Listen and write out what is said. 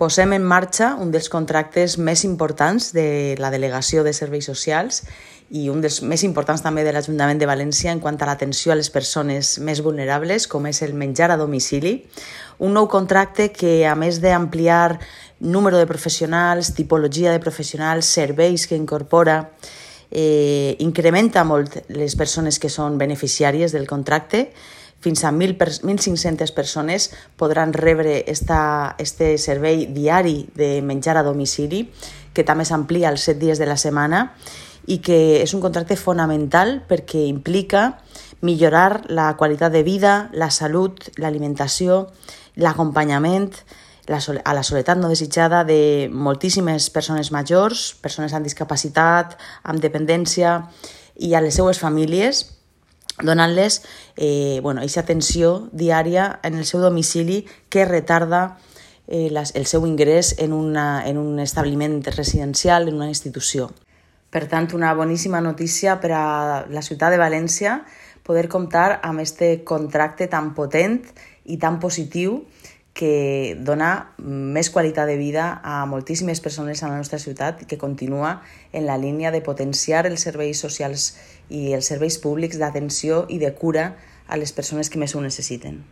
posem en marxa un dels contractes més importants de la Delegació de Serveis Socials i un dels més importants també de l'Ajuntament de València en quant a l'atenció a les persones més vulnerables, com és el menjar a domicili. Un nou contracte que, a més d'ampliar número de professionals, tipologia de professionals, serveis que incorpora, incrementa molt les persones que són beneficiàries del contracte. Fins a 1.500 persones podran rebre este servei diari de menjar a domicili, que també s'amplia als 7 dies de la setmana i que és un contracte fonamental perquè implica millorar la qualitat de vida, la salut, l'alimentació, l'acompanyament a la soledat no desitjada de moltíssimes persones majors, persones amb discapacitat, amb dependència i a les seues famílies, donant-les aquesta atenció diària en el seu domicili que retarda el seu ingrés en un establiment residencial, en una institució. Per tant, una boníssima notícia per a la ciutat de València poder comptar amb este contracte tan potent i tan positiu que dona més qualitat de vida a moltíssimes persones a la nostra ciutat i que continua en la línia de potenciar els serveis socials i els serveis públics d'atenció i de cura a les persones que més ho necessiten.